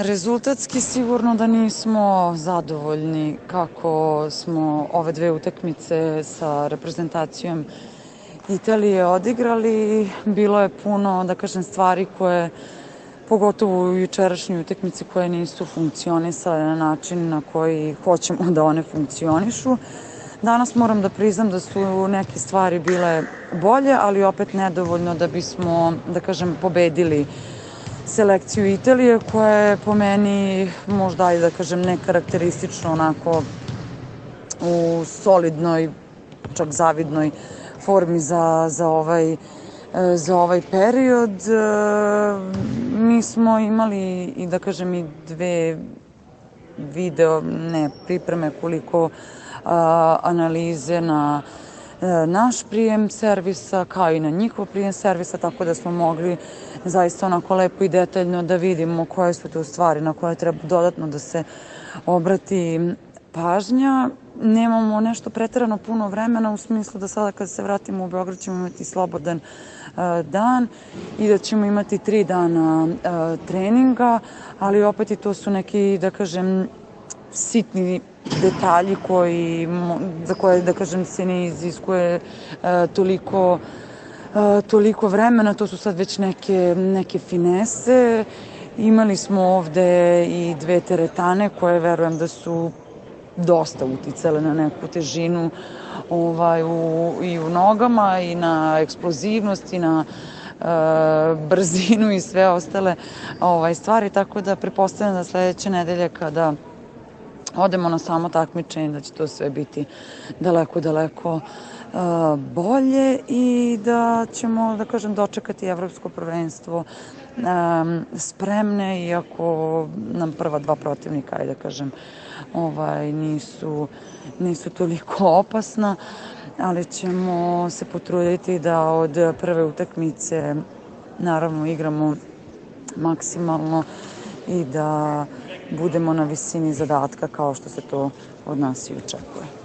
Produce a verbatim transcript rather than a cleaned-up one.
Rezultatski sigurno da nismo zadovoljni kako smo ove dve utakmice sa reprezentacijom Italije odigrali. Bilo je puno, da kažem, stvari koje, pogotovo u jučerašnjoj utakmici, koje nisu funkcionisale na način na koji hoćemo da one funkcionišu. Danas moram da priznam da su neke stvari bile bolje, ali opet nedovoljno da bismo, da kažem, pobedili selekciju Italije, koja je po meni možda, ajde da kažem, nekarakteristično onako u solidnoj, čak zavidnoj formi za, za, ovaj, za ovaj period. Mi smo imali i, da kažem, i dve video, ne pripreme, koliko a, analize na naš prijem servisa, kao i na njihov prijem servisa, tako da smo mogli zaista onako lepo i detaljno da vidimo koje su to stvari na koje treba dodatno da se obrati pažnja. Nemamo nešto preterano puno vremena, u smislu da sada kad se vratimo u Beograd ćemo imati slobodan uh, dan i da ćemo imati tri dana uh, treninga, ali opet i to su neki, da kažem, sitni detalji koji, za koje, da kažem, se ne iziskuje uh, toliko, uh, toliko vremena. To su sad već neke, neke finese. Imali smo ovde i dve teretane koje verujem da su dosta uticale na neku težinu ovaj, u, i u nogama i na eksplozivnost i na e, brzinu i sve ostale ovaj, stvari, tako da pretpostavljam da sledeće nedelje kada odemo na samo takmičenje da će to sve biti daleko, daleko uh, bolje i da ćemo, da kažem, dočekati evropsko prvenstvo um, spremne, iako nam prva dva protivnika, ajde da kažem, ovaj, nisu, nisu toliko opasna, ali ćemo se potruditi da od prve utakmice naravno igramo maksimalno i da budemo na visini zadatka kao što se to od nas i očekuje.